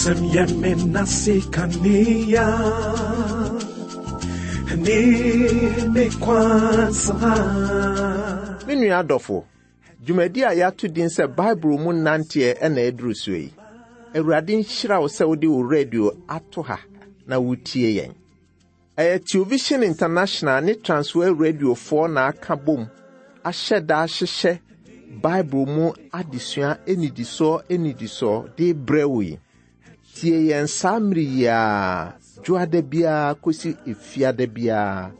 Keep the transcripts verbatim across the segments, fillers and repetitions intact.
Wasɛm yɛ me nase kanea ne me kwansa. Me nua adɔfo, dwumadi a yɛato din sɛ Bible mu nanteɛ ɛna ɛduru so yi. Awurade nhyira wo sɛ wode wo radio ato ha na wotie yɛn. Ɛyɛ Television International ne Transworld Radiofoɔ na aka bom ahyɛ da ahyehyɛ Bible mu adesua anidisoɔ anidisoɔ de brɛ wo yi. Tie yɛn saa mmere yi a dwoada biara kɔsi efiada biara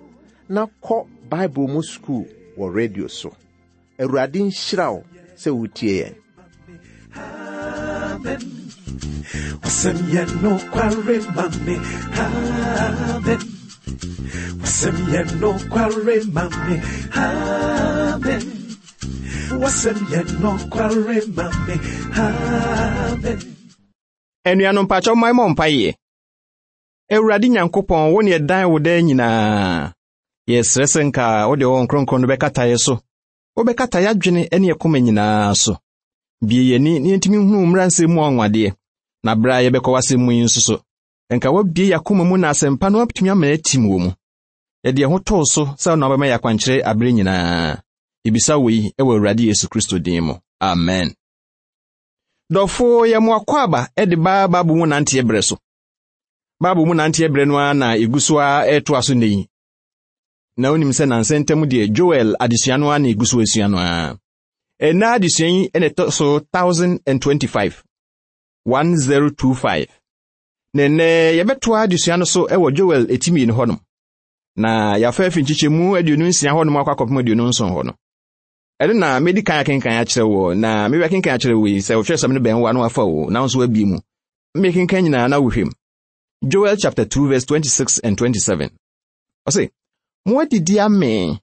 na kɔ Bible mu sukuu wɔ radio so. Awurade nhyira wo sɛ wotie yɛn. Amen. Wasɛm yɛ nokware ma me. Amen. Wasɛm yɛ nokware ma me. Amen. Wasɛm yɛ nokware ma me. Amen. Anuanom mpakyɛw mma mmɔ mpaeɛ. Awurade Nyankopɔn, wo ne ɛdan wo daa nyinaa. Yɛsrɛ sɛ nka wode wo Kronkron no bɛkata yɛ so. Wobɛkata yɛadwene ne yɛ koma nyinaa so. Bie yɛni na yɛntumi nhunu mmara nsɛm mu anwanwadeɛ. Na berɛ a yɛbɛkɔ w'asɛm mu yi nso so, nka woabie yɛakoma mu na asɛmpa no atumi ama atim wɔ mu. Yɛde yɛn ho too so sɛ wo na wobɛma yɛ akwankyerɛ abere nyinaa. Yɛbisa wo yi wɔ Awurade Yesu Kristo din mu. Amen. Dɔfo yɛ mo akɔ de ba Bible mu nanteɛ berɛ so. Bible mu nanteɛ berɛ no ara na egu so a ɛretoa so nnɛ yi. Na wonim sɛ nansa ntam deɛ Joel adesua no ara na egu so asua no ara. Ɛnna adesua yi na ɛtɔ so thousand and twenty-five. one zero two five. Na nnɛ yɛbɛtoa adesua no so wɔ Joel eti mmienu hɔnom. Na yɛafa afi nkyekyɛmu aduonu nsia hɔnom akɔ akɔpem aduonu nson hɔ no. Ɛno na medi kan akenkan akyerɛ wo na mebɛ kenkan akyerɛ wo yi sɛ wohwɛ sɛm no bɛn wo ano afa wo na nso abie mu. Mekenkan nyinaa na wohwɛ mu. Joel chapter two verse twenty-six and twenty-seven. Ɔse, mo adidi amee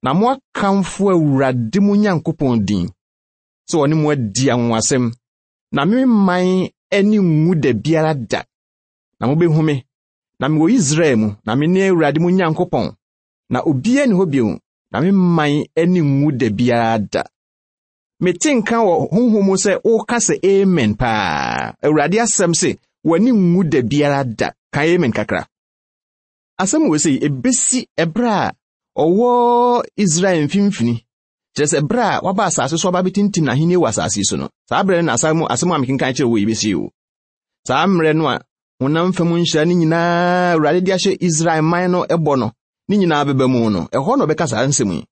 na mo akamfo Awurade mo Nyankopɔn din sɛ ɔne mo adi anwonwasɛm na me man ani nwu da biara da. Na mobɛhu me na mewɔ Israel mu na me ne Awurade mo Nyankopɔn na obiara nni hɔ bio na me man ani nwu da biara da. Mete nka wɔ honhom mu sɛ woka sɛ amen paa. Awurade asɛm se w'ani nwu da biara da. Ka amen kakra. Asɛm wɔ sɛ ebesi ɛberɛ a ɔwɔ Israel mfimfini. Kyerɛ sɛ ɛberɛ a waba asase so aba bɛtintim n'ahenni wɔ asase so no. Saa berɛ no na asɛm asɛm a mekenkan kyerɛ wɔ yi bɛsi o. Saa mmerɛ no a honam fam nhyira no nyinaa Awurade de ahyɛ Israel man no ɛbɔ no ne nyinaa bɛba mu no, ɛhɔ na ɔbɛka saa nsɛm yi.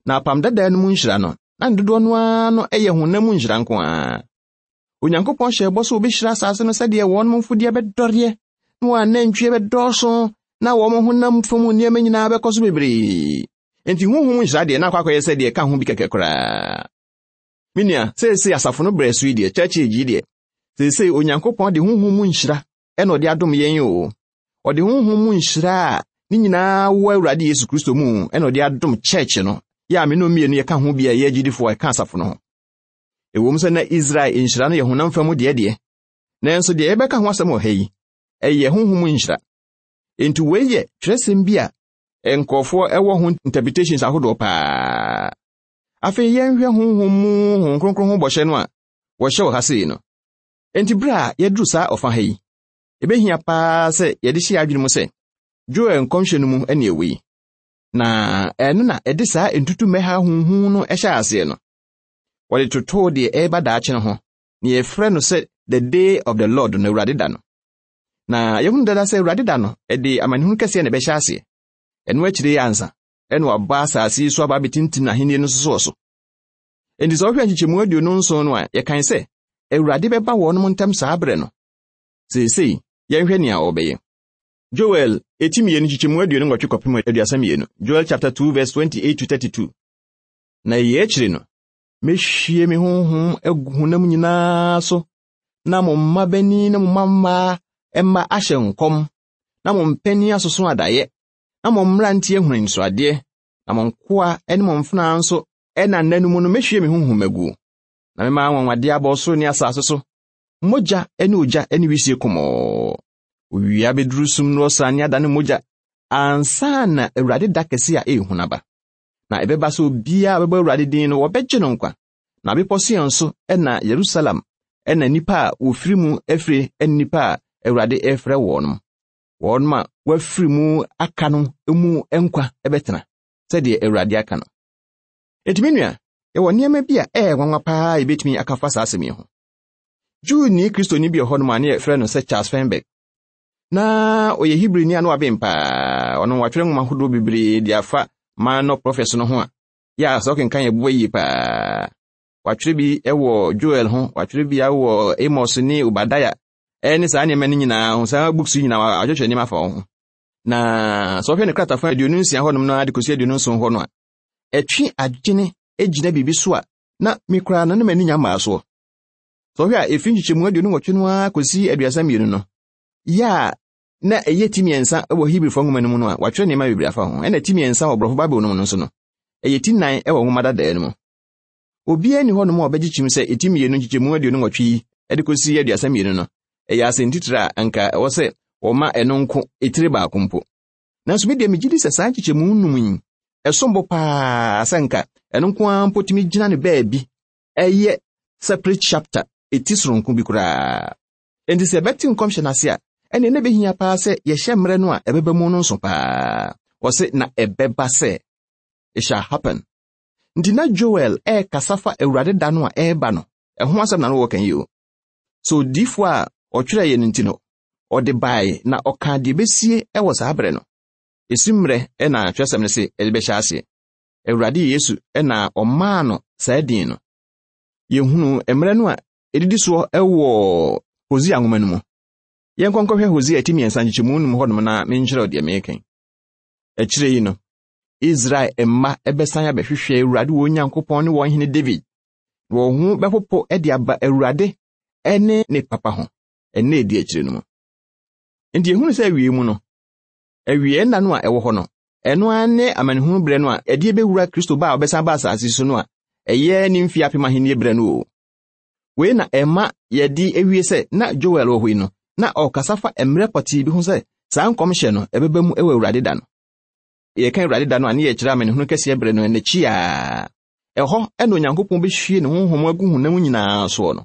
Na apam dadaa no mu nhyira no, na ne dodoɔ no ara no ɛyɛ honam mu nhyira nko ara. Onyankopɔn hyɛɛ bɔ sɛ obɛhyira asase no sɛdeɛ wɔn mfudeɛ bɛdɔreɛ, na wɔn anantwie bɛdɔɔso, na wɔn honam fam nneɛma nyinaa bɛkɔ so bebree. Enti honhom nhyira deɛ na akɔ akɔyɛ sɛ deɛ ɛka ho bi kɛkɛ koraa. Me nua, seesei asafo no brɛ so yi deɛ, church age yi deɛ, seesei Onyankopɔn de honhom mu nhyira ɛna ɔde adom yɛn o. Ɔde honhom mu nhyira a ne nyinaa wɔ Awurade Yesu Kristo mu ɛna ɔde adom church no. Yɛ a me no mmienu yɛka ho bi a yɛyɛ agyidifoɔ a ɛka asafo no ho. Ɛwom sɛ na Israel nhyira no yɛ honam fam deɛ deɛ, nanso deɛ yɛbɛka ho asɛm wɔ ha yi, ɛyɛ honhom mu nhyira. Enti wei yɛ twerɛsɛm bi a nkurɔfoɔ ɛwɔ ho interpretations ahodoɔ paa. Afei yɛnhwɛ honhom mu Honhom Kronkron ho bɔhyɛ no a wɔhyɛ wɔ ha sei no. Enti bere a yɛduru saa ɔfa ha yi, ebehia paa sɛ yɛde hyɛ adwene mu sɛ Joel nkɔmhyɛ no mu ɛne ɛwɔ yi. Na ɛno na ɛde saa ntutummɛha huhu no ɛhyɛ aseɛ no. Wɔde totoo deɛ ɛreba daakye no ho, na yɛfrɛ no sɛ the day of the Lord no, Awurade da no. Na yɛhunu dada sɛ Awurade da no, ɛde amanehunu kɛseɛ na ɛbɛhyɛ aseɛ. Ɛno akyire yi ansa, ɛna waba asase yi so aba abɛtintim n'ahenni no so wɔ so. Enti sɛ wohwɛ nkyekyɛmu aduonu nson no a, yɛkan sɛ Awurade bɛba wɔnom ntam saa berɛ no. Seesei, yɛnhwɛ nea ɔbɛyɛ. Joel eti mmienu nkyekyɛmu aduonu nwɔtwe kɔpem aduasa mmienu. Joel chapter two verse twenty-eight to thirty-two. Na eyi akyiri no, mehwie me honhom agu honam nyinaa so, na mo mma banin ne mo mma mmaa mma ahyɛ nkɔm, na mo mpanin asoso adaeɛ, na mo mmeranteɛ ahunu anisoadeɛ, na mo nkoa ne mo mfenaa nso ɛna nna no mu no mehwie me honhom agu. Na mema anwanwadeɛ aba ɔsoro ne asase so, mogya ne ogya ne wisie kɔmɔɔ. Owia bɛduru sum no ɔsrane adane mogya, ansa na Awurade da kɛse a ɛyɛ hu no aba. Na ɛbɛba sɛ obiara a ɔbɛbɔ Awurade din no wɔbɛgye no nkwa. Na bepɔ Sion so ɛna Yerusalem Ɛna nnipa a wɔfiri mu afiri ne nnipa a Awurade ɛfrɛ wɔn. Wɔn a wɔafiri mu aka no mu nkwa bɛtena sɛdeɛ Awurade aka no. Enti me nua, yɛwɔ nneɛma bi a ɛyɛ nwanwa paa a yɛbɛtumi aka fa saa asɛm yi ho. Jewni Kristoni bi wɔ hɔnom a ne yɛfrɛ no sɛ Charles Feinberg. Na ɔyɛ Hebrini a na waben paa. Ɔno watwerɛ nwoma ahodoɔ bebree de afa Minor Prophets no ho a, yɛ a sɛ ɔkenkan yɛ boa yie paa. Watwerɛ bi wɔ Joel ho, watwerɛ bi wɔ Amos ne Obadiah, ɛne saa nneɛma no nyinaa ho, saa books yi nyinaa watwerɛtwerɛ nneɛma afa wɔn ho. Na sɛ ɔhwɛ ne kratafa aduonu nsia hɔnom no de kɔsi aduonu nson hɔ no a, ɛtwe adwene gyina biribi so a na me koraa no na m'ani nya mmaa soɔ. Sɛ ɔhwɛ a ɛfiri nkyekyɛmu aduonu nwɔtwe no ara kɔsi aduasa mmienu no, yɛ a na ɛyɛ ti mmiɛnsa wɔ Hebrifoɔ nwoma no mu no a, watwerɛ nneɛma bebree afa ho. Ɛna ti mmiɛnsa wɔ Borɔfo Bible no mu no nso no, ɛyɛ ti nnan wɔ nwoma dadaa no mu. Obiara nni hɔnom a ɔbɛgye kyim sɛ ɛti mmienu nkyekyɛmu aduonu nwɔtwe yi de kɔsi aduasa mmienu no, ɛyɛ asɛntitire a anka ɛwɔ sɛ wɔma ɛno nko etire baako mpo. Nanso me deɛ megye di sɛ saa nkyekyɛmu num yi, ɛsom bo paa sɛ nka ɛno nko ara mpo tumi gyina ne baabi ɛyɛ separate chapter eti soronko bi koraa. Enti sɛ ɛbɛte nkɔmhyɛ no ase a, ɛnneɛ na ɛbɛhia paa sɛ yɛhyɛ mmerɛ no a ɛbɛba mu no nso paa. Wɔse na ɛbɛba sɛ it shall happen. Nti na Joel ɛrekasa fa Awurade da no a ɛreba no, ɛho asɛm na no wɔka yi o. So odiyifoɔ a ɔtwerɛeɛ no nti no, ɔde bae na ɔka deɛ ɛbɛsie ɛwɔ saa berɛ no. Esi mmerɛ ɛna twerɛsɛm no se ɛde bɛhyɛ aseɛ. Awurade Yesu ɛna ɔmaa no saa din no. Yɛhunu mmerɛ no a ɛdidi soɔ ɛwɔ Hosea nwoma no mu. Yɛnkɔ nkɔhwɛ Hosea ti mmiɛnsa nkyekyɛmu num hɔnom na menkyerɛw deɛ mereka. Akyire yi no, Israel mma ɛbɛsan abɛhwehwɛ Awurade wɔn Nyankopɔn ne wɔn hene David. Wɔn ho bɛpopo de aba Awurade ne ne papa ho ɛnna edi akyire no mu. Nti ehunu sɛ awie mu no, awie nna no a ɛwɔ hɔ no, ɛno ara ne amanehunu berɛ no a ɛde bɛwura Kristo ba a ɔbɛsan ba asase so no a ɛyɛ ne mfe apem ahenni berɛ no o. Wei na ɛma yɛde awie sɛ na Joel wɔ hɔ yi no, na ɔkasa fa mmerɛ pɔtee bi ho sɛ saa nkɔmhyɛ no ɛbɛba mu wɔ Awurade da no. Yɛka Awurade da no a ne yɛkyerɛ amanehunu kɛseɛ berɛ no n'akyi a ɛhɔ ɛna Onyankopɔn bɛhwie ne honhom agu honam nyinaa soɔ no.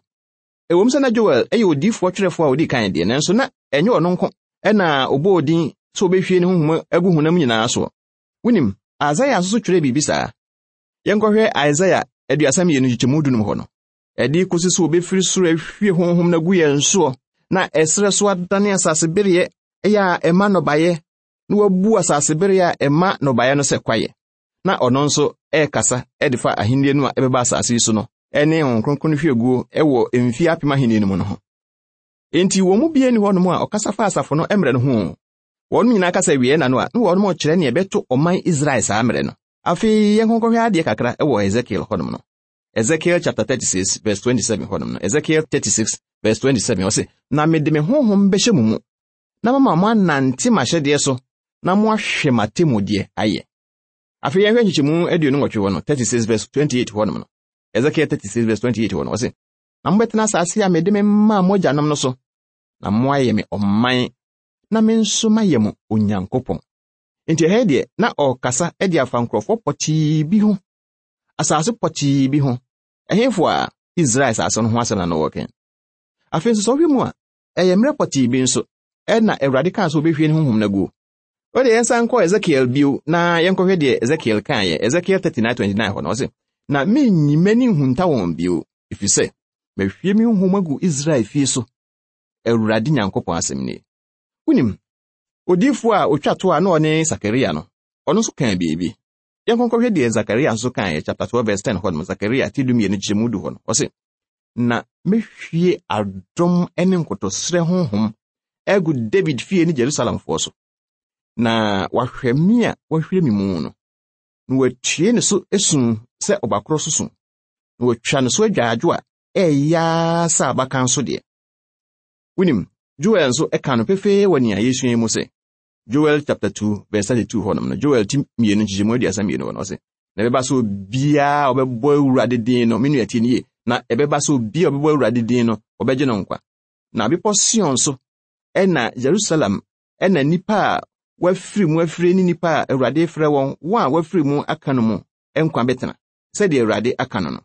Ɛwom sɛ na Joel ɛyɛ odiyifoɔ twerɛfoɔ a ɔdi kan deɛ, nanso na ɛnyɛ ɔno nko ɛna ɔbɔɔ din sɛ ɔbɛhwie ne honhom agu honam nyinaa soɔ. Wonim, Isaia nso so twerɛ biribi saa. Yɛnkɔhwɛ Isaia aduasa mmienu nkyekyɛmu dunum hɔ no. Ɛde kɔsi sɛ wɔbɛfiri soro ahwie honhom no agu yɛn soɔ, na ɛserɛ so adane asase bereɛ ɛyɛ a ɛma nnɔbaeɛ, na wabu asase bereɛ a ɛma nnɔbaeɛ no sɛ kwaeɛ. Na ɔno nso ɛrekasa ɛde fa ahenni no a ɛbɛba asase yi so no, ɛne Honhom Kronkron no hwieguo ɛwɔ mfie apem ahenni no mu no ho. Enti wɔn mu biara nni hɔnom a ɔkasa fa asafo no mmerɛ no ho. Wɔn nyinaa kasa awie na no a, na wɔn kyerɛ nea ɛbɛto ɔman Israel saa mmerɛ no. Afei yɛnkɔnkɔhwɛ adeɛ kakra ɛwɔ Ezekiel hɔnom no. Ezekiel chapter thirty-six verse twenty-seven hɔnom no. Ezekiel thirty-six verse twenty-seven ɔse, na mede me honhom bɛhyɛ mo mu, na mama mo anante m'ahyɛdeɛ so, na mo ahwɛ m'atemmudeɛ ayɛ. Afei yɛnhwɛ nkyekyɛmu aduonu nwɔtwe hɔ no, thirty-six verse twenty-eight hɔnom no. Ezekiel thirty-six verse twenty-eight hɔ no, ɔse, na mobɛtena asase a mede me maa mo agyanom no so, na moayɛ me ɔman, na me nso mayɛ mo Onyankopɔn. Enti ɛha deɛ, na ɔrekasa de afa nkurɔfoɔ pɔtee bi ho, asase pɔtee bi ho. Ɛhemfo a Israel asase no ho asɛm na na wɔreka. Afei nso sɛ wohwɛ mu a, ɛyɛ mmerɛ pɔtee bi nso ɛna Awurade kaa sɛ obɛhwie ne honhom no aguo. Wode yɛnsan nkɔ Ezekiel bio na yɛnkɔhwɛ deɛ Ezekiel kaeɛ. Ezekiel thirty-nine twenty-nine hɔ no, ɔse, na menyi m'ani nhunta wɔn bio, ɛfiri sɛ mahwie me honhom agu Israel fie so. Awurade Nyankopɔn asɛm nie. Wonim, odiyifoɔ a otwa to a na ɔne Sakaria no, ɔno nso kaa biribi. Yɛnkɔnkɔhwɛ deɛ Sakaria nso kaeɛ, chapter twelve verse ten hɔ no, Sakaria ti dumienu kyerɛmu du hɔ no, ɔse, na mehwie adom ne nkotosrɛ honhom agu David fie ne Jerusalemfoɔ so, na wahwɛ me a wahwire me mu no, na watue ne so esu sɛ ɔbakorɔ so su, na watwa ne so adwaadwo a ɛyɛ sɛ abakan so deɛ. Wonim, Joel nso ɛka no pefee wɔ nea yɛsua yi mu sɛ, Joel chapter two verse thirty-two hɔ nom no, Joel ti mmienu nkyekyɛmu aduasa mmienu hɔ no, ɔse, na ɛbɛba sɛ obiara a ɔbɛbɔ Awurade din no, me nua tie nie, na ɛbɛba sɛ obiara a ɔbɛbɔ Awurade din no, ɔbɛgye no nkwa. Na bepɔ Sion so, ɛna Jerusalem, ɛna nnipa a wɔafiri mu afiri ne nnipa a Awurade frɛ wɔn, wɔn a wɔafiri mu aka no mu nkwa bɛtena, sɛdeɛ Awurade aka no no.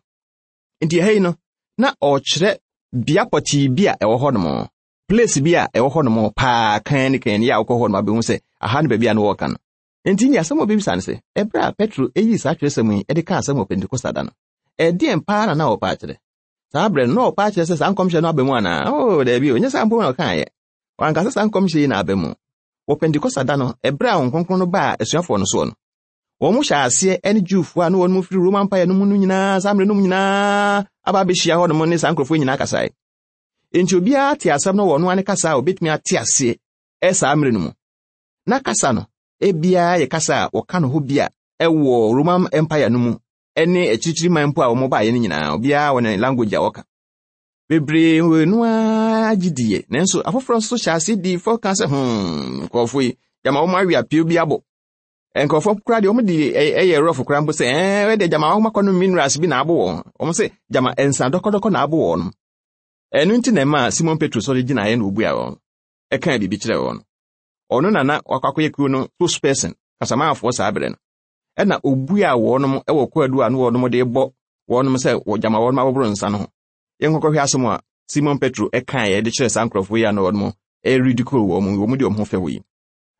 Nti ɛha yi no, na ɔrekyerɛ Bea pɔtee bi a ɛwɔ hɔnom, place bi a ɛwɔ hɔnom paa kan ne kan yɛ a wokɔ hɔnom abɛhu sɛ aha ne baabi a no wɔka no. Enti ne asɛm a obebisa no sɛ, ɛberɛ a Petro eyii saa twerɛsɛm yi de kaa asɛm wɔ Pentekosta da no, ɛdeɛn paa na na ɔpɛ akyerɛ? Saa berɛ no na ɔpɛ akyerɛ sɛ saa nkɔmhyɛ no aba mu anaa? Oh, daabi o, nyɛ saa mpo na ɔkaeɛ. Wanka sɛ saa nkɔmhyɛ yi na aba mu. Wɔ Pentekosta da no, ɛberɛ a Honhom Kronkron no baa asuafoɔ no soɔ no, wɔn hyɛ aseɛ ne Jewfoɔ a na wɔn mu firi Roman Empire no mu no nyinaa saa mmerɛ no mu nyinaa aba abɛhyia hɔnom ne saa nkurɔfoɔ nyinaa kasae. Enti obiara te asɛm no wɔ ɔno ara ne kasa a obetumi ate aseɛ ɛ saa mmerɛ no mu. Na kasa no, ebiara yɛ kasa a wɔka no hɔ bi a ɛwɔ Roman Empire no mu ne akyirikyiri man mpo a wɔn baeɛ no nyinaa, obiara wɔ ne language a wɔka. Bebree wɔ no ara gye diiɛ, nanso afoforɔ nso hyɛ aseɛ dii fɔ ka sɛ, hmm, nkurɔfoɔ yi, gyama wɔn awe apio bi abɔ. Nkurɔfoɔ koraa deɛ wɔn de ɛyɛ rɔfo koraa mpo sɛ, ɛɛ, ɛdeɛ gyama wɔn akɔnom minerals bi na abo wɔn. Wɔn sɛ gyama nsa dɔkɔdɔkɔ na abo wɔn. Ɛno nti na ɛmaa Simon Petro sɔre gyinaeɛ na obua wɔn. Ɛkaa biribi kyerɛɛ wɔn. Ɔno na na wakɔ akɔyɛ kuo no spokesperson, kasamaafoɔ saa berɛ no. Ɛna obua wɔnom wɔ kwaadu a na wɔnom de bɔ wɔnom sɛ wɔgyama wɔnom aboboro nsa no ho. Yɛnkɔkɔhwɛ asɛm a Simon Petro ɛkaeɛ de kyerɛ saa nkurɔfoɔ yi a na wɔnom ɛridicule wɔn, wɔn de wɔn ho fɛ wɔ yi.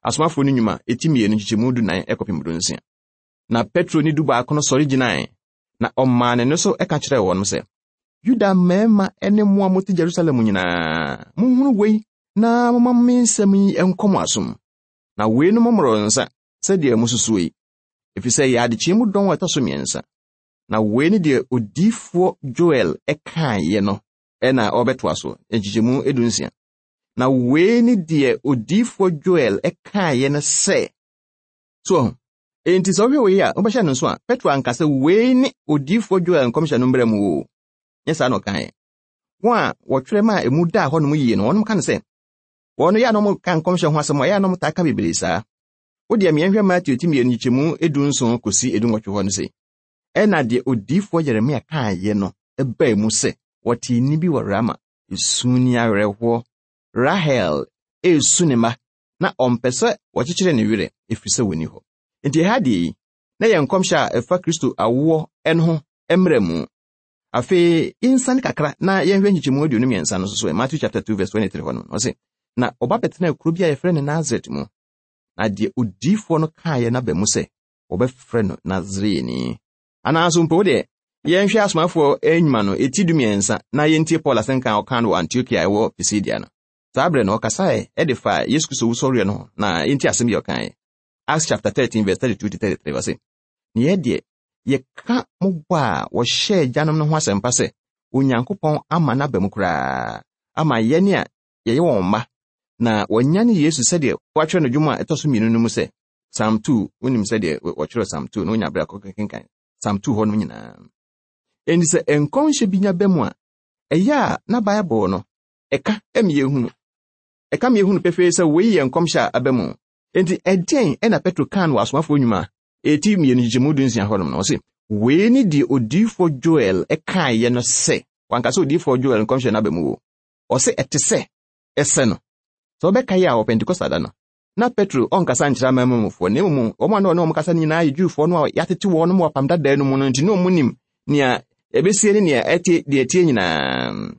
Asomafoɔ no nnwuma eti mmienu nkyekyɛmu dunan ɛkɔpem dunsia. Na Petro ne du baako no sɔre gyinae, na ɔmaa ne nne so ɛka kyerɛɛ wɔn sɛ, Yuda mmarima ne mo a mote Jerusalem nyinaa, monhunu wei na momma me nsɛm yi nkɔ mo asom. Na weinom mmoro nsa sɛdeɛ mususuo yi, ɛfiri sɛ yɛ adekyeɛ mu dɔn a ɛtɔ so mmiɛnsa. Na wei ne deɛ odiyifoɔ Joel ɛkaeɛ no ɛna ɔbɛtoa so, nkyekyɛmu edunsia. Na wei ne deɛ odiyifoɔ Joel ɛkaeɛ no sɛ, so enti sɛ wohwɛ wei a, wobɛhyɛ no nso a, Petro anka sɛ wei ne odiyifoɔ Joel nkɔmhyɛ no mbrɛ mu o. Nyɛ saa na ɔkaeɛ. Wɔn a wɔtwerɛ maa emu daa hɔnom yie no, wɔnom ka no sɛ, wɔn yɛ a na wɔka nkɔmhyɛ ho asɛm a ɛyɛ a na wɔtaa ka bebree saa. Wo deɛ mmiɛnhwɛ Mateo ti mmienu nkyekyɛmu edu nson kɔsi edunwɔtwe hɔ no sɛ, ɛna deɛ odiyifoɔ Yeremia kaeɛ no ɛbaa mu sɛ, wɔtee nne bi wɔ Rama, esu ne awerɛhoɔ. Rahel esu ne mma, na ɔmpɛ sɛ wɔkyekyere ne werɛ, ɛfiri sɛ wɔnni hɔ. Enti ɛha deɛ yi, na yɛ nkɔmhyɛ a ɛfa Kristo awoɔ no ho mmerɛ mu. Afei, yɛnsane kakra na yɛnhwɛ nkyekyɛmu aduonu mmiɛnsa no so so, Matthew chapter two verse twenty-three hɔ no, ɔse, na ɔba bɛtena kuro bi a yɛfrɛ no Nasaret mu. Na deɛ odiyifoɔ no kaeɛ no aba mu sɛ, wɔbɛfrɛ no Nasareni. Anaa mpo wo deɛ, yɛnhwɛ asomafoɔ nnwuma no eti du mmiɛnsa na yɛntie Paul asɛnka a ɔka no wɔ Antiokia a ɛwɔ Pisidia no. Saa berɛ no ɔkasaeɛ ɛde fa Yesu Kristo wusɔreɛ no ho na yɛntie asɛm bi a ɔkaeɛ. Acts chapter thirteen verse thirty-two to thirty-three ɔse, ne yɛ deɛ yɛka mo bɔ a wɔhyɛɛ agyanom no ho asɛmpa sɛ Onyankopɔn ama n'aba mu koraa ama yɛne a yɛyɛ wɔn mma na wɔanyane Yesu sɛdeɛ wɔatwerɛ no dwom a ɛtɔ so mmienu no mu sɛ Psalm two, wonim sɛdeɛ wɔtwerɛ Psalm two na wonya berɛ akɔkenkan Psalm two hɔ no nyinaa. Enti sɛ nkɔmhyɛ bi nya ba mu a, ɛyɛ a na Bible no ɛka ɛma yɛhunu. Ɛka ma yɛhunu pefee sɛ wei yɛ nkɔmhyɛ a aba mu. Enti ɛdeɛn ɛna Petro kaa no wɔ asomafoɔ nnwuma eti mmienu nkyekyɛmu du nsia hɔnom no, ɔse, wei ne deɛ odiyifoɔ Joel ɛkaeɛ no sɛ, wanka sɛ odiyifoɔ Joel nkɔmhyɛ no aba mu o. Ɔse ɛte sɛ ɛsɛ no. Sɛ wobɛkae a wɔ Pentekosta da no, na Petro ɔnkasa nkyerɛ amanamanmufoɔ, na mmom wɔn a na ɔne wɔn kasa no nyinaa yɛ Jewfoɔ no a yɛatete wɔn wɔ apam dadaa no mu no, nti na wɔn nim nea ɛbɛsie ne nea ɛte deɛ ɛteɛ nyinaa.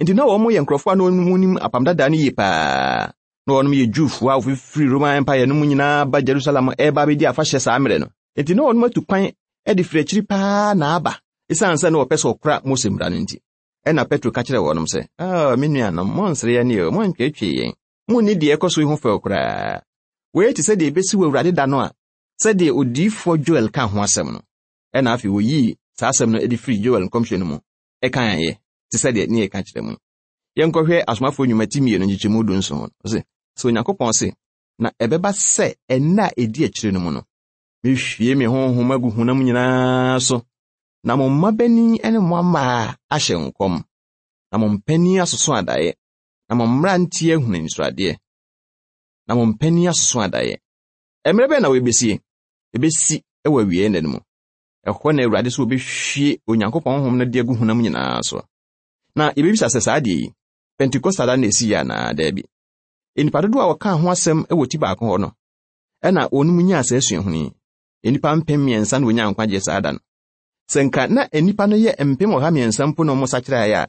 Nti na wɔn yɛ nkurɔfoɔ a na wɔn nim apam dadaa no yie paa. Na wɔn yɛ Jewfoɔ a wɔfifiri Roman Empire no mu nyinaa ba Jerusalem ɛreba abɛdi afahyɛ saa mmerɛ no. Nti na wɔn atu kwan de firi akyiri paa na aba, esiane sɛ na wɔpɛ sɛ wɔkora Mose mmara no nti. Ɛna Petro ka kyerɛɛ wɔnom sɛ, ah, me nuanom, monnsere yɛn o, monntweetwee yɛn. Munni deɛ ɛkɔ so yi ho fɛw koraa. Wei te sɛ deɛ ebesi wɔ Awurade da no a, sɛdeɛ odiyifoɔ Joel ka ho asɛm no. Ɛna afei wɔyii saa asɛm no de firi Joel nkɔmhyɛ no mu ɛkaeɛ te sɛ deɛ ne yɛka kyerɛ mu. Yɛnkɔhwɛ asomafoɔ nnwuma ti mmienu nkyekyɛmu du nson. Ɔse, sɛ Onyankopɔn se, na ɛbɛba sɛ ɛnna a ɛdi akyire no mu no, mehwie me honhom agu honam nyinaa so, na mo mmabanin ne mo mmaa ahyɛ nkɔm, na mo mpanin asoso adaeɛ, na mo mmeranteɛ ahunu anisoadeɛ, na mo mpanin asoso adaeɛ. Mmerɛ bɛn na wɔbɛsie? Ɛbɛsi wɔ awiei nna no mu. Ɛhɔ na Awurade sɛ wɔbɛhwie Onyankopɔn honhom no de agu honam nyinaa so. Na yɛbɛbisa sɛ saa adeɛ yi, Pentekosta da na ɛsii anaa daabi? Nnipa dodoɔ a wɔkaa ho asɛm wɔ ti baako hɔ no, ɛna wɔn mu nyaa saa suahunu yi. Nnipa mpem mmiɛnsa na wɔnyaa nkwagyeɛ saa da no. Sɛ nka na nnipa no yɛ mpem ɔha mmiɛnsa mpo na wɔn sakyeraeɛ a,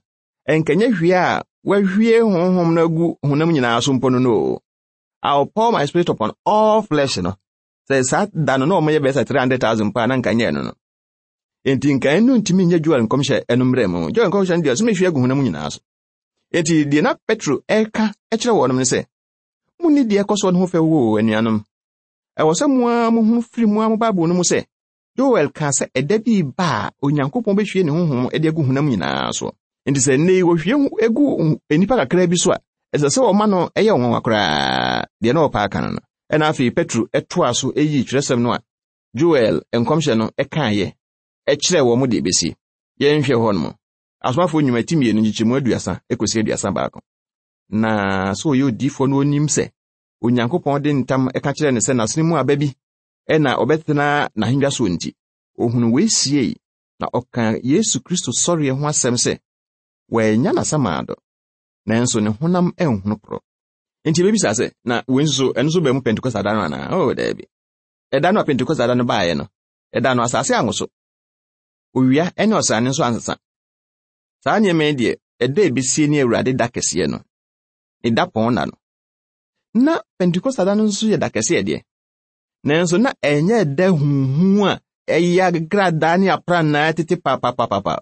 Ɛnkɛnyɛ hwie a wahwie honhom no agu honam nyinaa so mpo no no o. I will pour my spirit upon all flesh no. Sɛ saa da no na ɔmo yɛ bɛyɛ sɛ three hundred thousand mpo a na nka nyɛ no no. Enti nka ɛno ntumi nyɛ Joel nkɔmhyɛ ɛno mmerɛ mu. Joel nkɔmhyɛ no deɛ ɔsɛ mehwie agu honam nyinaa so. Enti deɛ na Petro ɛka kyerɛ wɔn no sɛ, munni deɛ ɛkɔ soɔ no ho fɛ wo anuanom. Ɛwɔ sɛ mo ara mohunu firi mo ara mo Bible no mu sɛ, Joel kaa sɛ ɛda bi ba a Onyankopɔn bɛhwie ne honhom de agu honam nyinaa so. Enti sɛ nnɛ yi wɔhwie egu nnipa kakra bi so a, ɛsɛ sɛ wɔma no ɛyɛ nwanwa koraa deɛ na ɔpɛ aka no no. Ɛna afei Petro ɛtoa so ɛyii twerɛsɛm no a Joel nkɔmhyɛ no ɛkaeɛ ɛkyerɛ wɔn mo deɛ ɛbɛsi. Yɛnhwɛ hɔ nom. Asomafoɔ nnwuma ti mmienu nkyekyɛmu aduasa ekosi aduasa baako. Na sɛ ɔyɛ odiyifoɔ no onim sɛ Onyankopɔn de ntam ɛka kyerɛ no sɛ n'asene mu aba bi ɛna ɔbɛtena n'ahengua soɔ nti, ohunu wei siei na ɔka Yesu Kristo sɔreɛ ho asɛm sɛ wɔanya n'asamaado, nanso ne honam anhunu korɔ. Nti ebebisa sɛ, na wei nso ɛno nso baa mu Pentekoste da no anaa? Oh, daabi. Ɛda no a Pentekoste da no baeɛ no, ɛda no asase anwoso. Owia ne ɔsrane nso ansesa. Saa nneɛma yi deɛ, ɛda a ebesie ne Awurade da kɛseɛ no, ne da pɔn na no. Na Pentekoste da no nso yɛ da kɛseɛ deɛ. Nanso na ɛnyɛ ɛda huhu a ɛyɛ agradaa ne aprannaa tete papapapapa.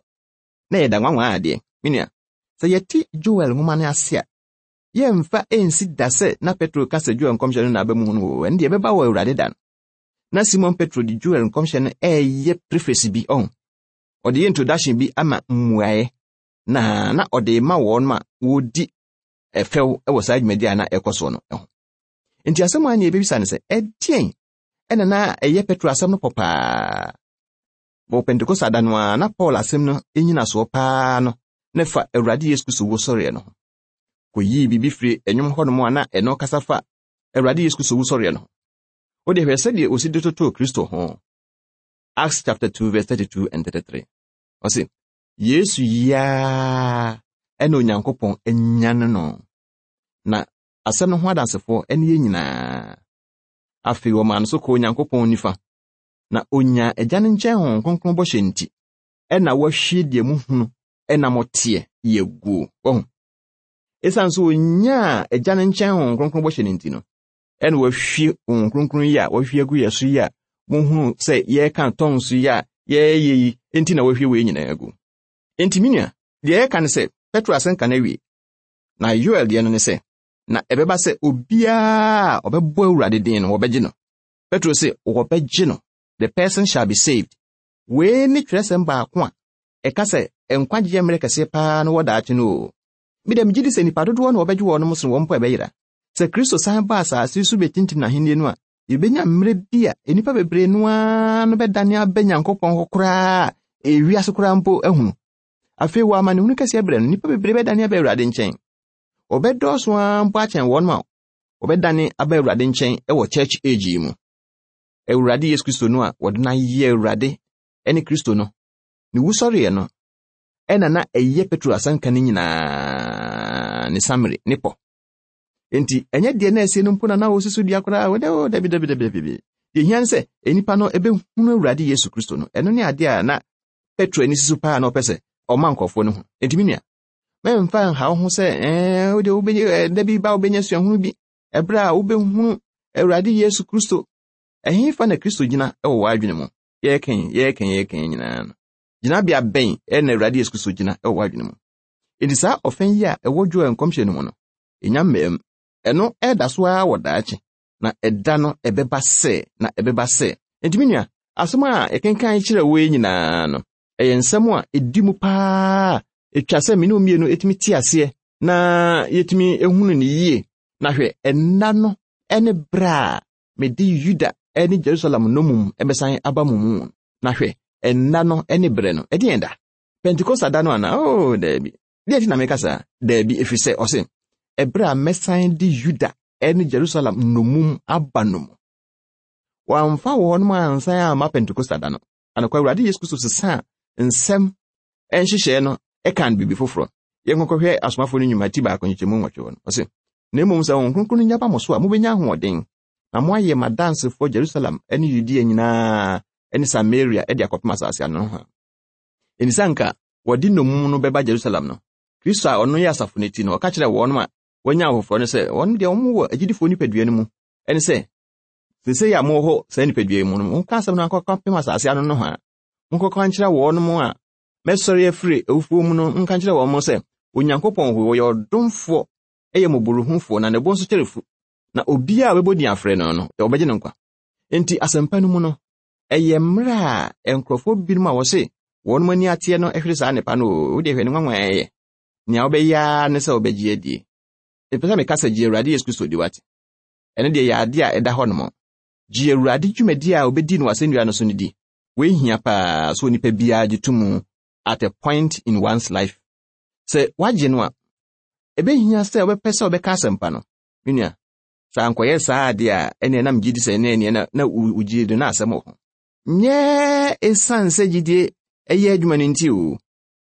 Na ɛyɛ da nwanwa adeɛ. Me nua, sɛ yɛte Joel nwoma no ase a, yɛmfa ɛnsi da sɛ na Petro ka sɛ Joel nkɔmhyɛ no na aba mu no wɔ ɛno deɛ ɛbɛba wɔ Awurade da no. Na Simon Petro de Joel nkɔmhyɛ no ɛyɛ preface bi ɔho. Ɔde yɛ introduction bi ama mmuaeɛ na na ɔde ma wɔn ma wɔdi ɛfɛw wɔ saa dwumadi a na ɛkɔ soɔ no ho. Nti asɛm a ne yɛbɛbisa no sɛ, ɛdeɛn ɛna na ɛyɛ Petro asɛm no pɔ paa? Wɔ Pentekoste da no a na Paul asɛm no nyinasoɔ paa no na fa Awurade Yesu Kristo wusɔreɛ no ho. Kɔyii biribi firi ɛnwom hɔnom a na ɛno kasa fa Awurade Yesu Kristo wusɔreɛ no ho. Wode hwɛ sɛdeɛ osi de totoo Kristo ho. Acts chapter two verse thirty-two and thirty-three. Ɔse, Yesu yiaa ɛna Onyankopɔn anyane no. Na asɛm no ho adansefoɔ ɛne yɛn nyinaa. Afei wɔmaa no so kɔɔ Onyankopɔn nifa. Na onya Agya no nkyɛn Honhom Kronkron bɔhyɛ nti, ɛna wahwie deɛ muhunu ɛna moteɛ yɛ guo. Wahu? Esiane sɛ onyaa Agya no nkyɛn Honhom Kronkron bɔhyɛ no nti no, ɛna wahwie Honhom Kronkron yi a wahwie agu yɛ so yi a muhunu sɛ yɛreka tongues yi a yɛreyɛ yi nti na wahwie wei nyinaa agu. Enti me nua, deɛ yɛka ne sɛ Petro asɛnka no awie. Na Yoel deɛ no ne sɛ, na ɛbɛba sɛ obiara a ɔbɛbɔ Awurade din no wɔbɛgye no. Petro se wɔbɛgye no. The person shall be saved. Wei ne twerɛsɛm baako a ɛka sɛ nkwagyeɛ mmerɛ kɛseɛ paa no wɔ daakye no o. Me dɛ megye di sɛ nnipa dodoɔ na wɔbɛgye wɔn sen wɔn mpo a ɛbɛyera. Sɛ Kristo san ba asase so bɛtintim n'ahenni no a, yɛbɛnya mmerɛ bi a nnipa bebree no ara no bɛdane aba Nyankopɔn hɔ koraa a ewiase koraa mpo ahunu. Afei wɔ amanehunu kɛseɛ berɛ no, nnipa bebree bɛdane aba Awurade nkyɛn. Wɔbɛdɔɔso ara mpo akyɛn wɔn a wɔbɛdane aba Awurade nkyɛn wɔ church age yi mu. Awurade Yesu Kristo no a wɔde no ayɛ Awurade ne Kristo no, ne wusɔreɛ no, ɛna na ɛyɛ Petro asɛnka no nyinaa ne summary ne pɔ. Enti ɛnyɛ deɛ na ɛsie no mpo na na wɔsi so dua koraa, wɔdɛ o dabi dabi dabi dabi. Deɛ hia ne sɛ nnipa no ɛbɛhunu Awurade Yesu Kristo no, ɛno ne adeɛ a na Petro ani si so paa na ɔpɛ sɛ ɔma nkurɔfoɔ no hu. Enti me nua, mɛmfa nha wo ho sɛ ɛɛ wode wobɛnya da bi ba wobɛnya suahunu bi ɛberɛ a wobɛhunu Awurade Yesu Kristo. Ɛhefa na Kristo gyina wɔ w'adwene mu? Yɛreka yɛreka yɛreka nyinaa no. Gyinabea bɛn ɛna Awurade Yesu Kristo gyina wɔ w'adwene mu? Enti saa ɔfɛn yi a ɛwɔ Joel nkɔmhyɛ no mu no, ɛnya mmaam. Ɛno ɛda so ara wɔ daakye, na ɛda no ɛbɛba sɛ, na ɛbɛba sɛ. Enti me nua, asɛm a yɛkenkan kyerɛ wo yi nyinaa no, ɛyɛ nsɛm a ɛdi mu paa, ɛtwa sɛ me ne wo mmienu ɛtumi te aseɛ na yɛtumi ehunu ne yie. Na hwɛ, ɛnna no ɛne berɛ a mede Yuda ɛne Jerusalem nnommum ɛbɛsan aba mo mu. Na hwɛ, ɛnna no ɛne berɛ no, ɛdeɛn da? Pentekoste da no anaa? Oh, daabi. Deɛ nti na meka saa? Daabi, ɛfiri sɛ ɔse, ɛberɛ a mɛsan de Yuda ɛne Jerusalem nnommum aba no mu. Wɔamfa wɔn ansan amma Pentekoste da no. Anokwa Awurade Yesu Kristo sesaa nsɛm nhyehyɛɛ no ɛka no biribi foforɔ. Yɛnkɔkɔhwɛ asomafoɔ no nnwuma ti baako nkyekyɛmu nwɔtwe hɔ no. Ɔse, na mmom sɛ Honhom Kronkron no nya ba mo so a, mobɛnya ahoɔden, na moayɛ m'adansefoɔ Jerusalem ne Yudea nyinaa ne Samaria de akɔpem asase ano ho. Enti sɛ anka wɔde nnommum no bɛba Jerusalem no, Kristo a ɔno yɛ asafo no ti no, ɔka kyerɛɛ wɔn a wɔanya ahofoforɔ no sɛ wɔn deɛ wɔn wɔ agyidifoɔ nipadua no mu. Ɛne sɛ, seesei a mowɔ hɔ saa nipadua yi mu no, monka asɛm no akɔka pem asase ano no ho a, monkɔka nkyerɛ wɔn a mɛsɔre afiri awufoɔ mu no, nka nkyerɛ wɔn sɛ Onyankopɔn hɔ wɔyɛ ɔdomfoɔ, ɛyɛ mmɔborɔhufoɔ, na ne bo nso kyɛre fu. Na obiara a ɔbɛbɔ din afrɛ no no, ɔbɛgye no nkwa. Enti asɛmpa no mu no, ɛyɛ mmerɛ a nkurɔfoɔ binom a wɔse wɔn ani ateɛ no hwere saa nnepa no o, wode hwɛ ne nwanwa ɛyɛ. Nea wobɛyɛ ara ne sɛ wobɛgye adie. Mepɛ sɛ meka sɛ gye Awurade Yesu Kristo di wate. Ɛno deɛ yɛ ade a ɛda hɔ nom. Gye Awurade dwumadi a obɛdi no w'asɛnnua no so no di. Wei hia paa sɛ onipa biara gye to mu at a point in one's life. Sɛ woagye no a, ɛbɛhia sɛ wobɛpɛ sɛ wobɛka asɛmpa no. Me nua, sɛ ankɔyɛ saa ade a ɛne nam gye di sɛ ɛne ɛneɛ na, na wogye do na asɛm wɔ ho. Nyɛ ɛsiane sɛ gyidie ɛyɛ adwuma no nti o,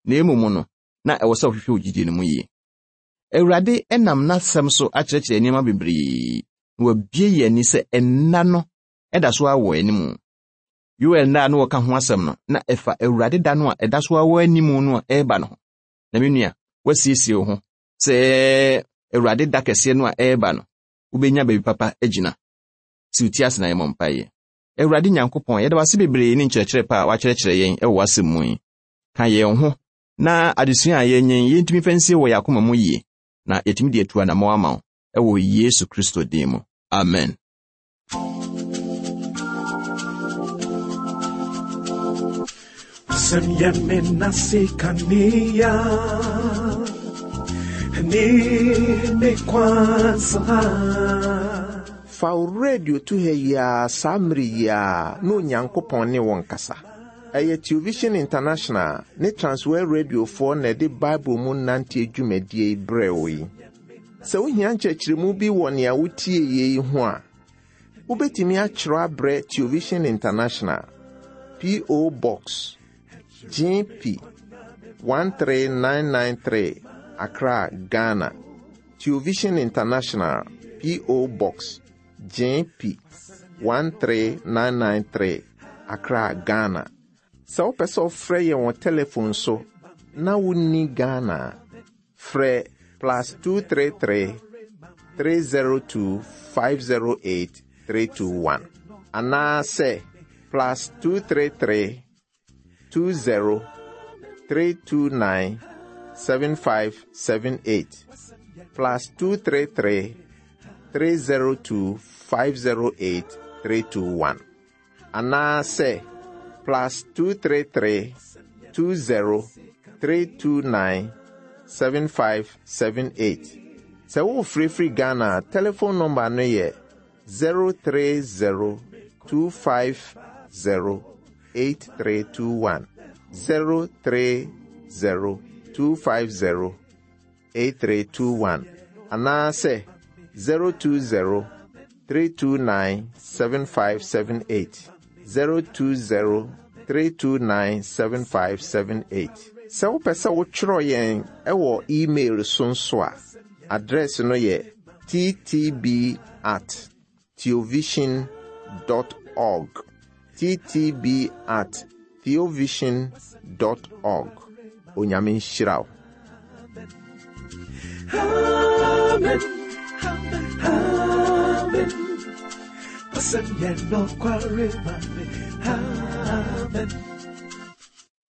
na mmom no, na ɛwɔ sɛ wohwehwɛ wo gyidie no mu yie. Awurade ɛnam n'asɛm so akyerɛkyerɛ nneɛma bebree na wabie yɛn ani sɛ ɛnna no ɛda so awɔ anim. Yoel nna a na wɔka ho asɛm no, na ɛfa Awurade da no a ɛda so awɔ anim no a ɛreba no ho. Na me nua, wasiesie wo ho sɛ Awurade da kɛseɛ no a ɛreba no, wobɛnya baabi papa agyina. Si wo ti ase na yɛmmɔ mpaeɛ. Awurade Nyankopɔn, yɛda wo ase bebree ne nkyerɛkyerɛ pa a wakyerɛkyerɛ yɛn ɛwɔ w'asɛm mu yi. Ka yɛn ho na adesua a yɛnyɛ yi, yɛntumi fa nsie wɔ yɛn akoma mu yie, na yɛtumi de atu anammɔn ama wo ɛwɔ Yesu Kristo din mu. Amen. Wasɛm yɛ me nase kanea ne me kwan so ha. Fa wo radio to ha yi ara saa mmere yi ara na Onyankopɔn ne wo nkasa. Ɛyɛ Television International ne Transworld Radiofoɔ na ɛde Bible mu nante dwumadie yi brɛ wo yi. Sɛ wohia nkyerɛkyerɛmu bi wɔ nea wotie yie yi ho a, wobɛtumi akyerɛw abrɛ Television International, P O. Box G P one three nine nine three, Accra, Ghana. Television International, P O. Box G P one three nine nine three, Accra, Ghana. Sɛ wopɛ sɛ wofrɛ yɛn wɔ telephone so na wonni Ghana, frɛ plus two three three, three zero two, five zero eight, three two one. Anaasɛ plus two three three, two zero, three two nine, seven five seven eight. Plus two three three, three zero two, five zero eight, three two one. Anaasɛ plus two three three, two zero, three two nine, seven five seven eight. Sɛ wofrɛfiri Ghana, telephone number no yɛ zero three zero, two five zero, eight three two one. zero three zero, two five zero, eight three two one. Anaasɛ zero two zero, three two nine, seven five seven eight. zero two zero, three two nine, seven five seven eight. Sɛ wopɛ sɛ wotwerɛ yɛn ɛwɔ email so nso a, address no yɛ t t b at theovision dot org. t t b at theovision dot org. Onyame nhyira wo. Amen. Amen. Wasɛm yɛ nokware ma me. Amen.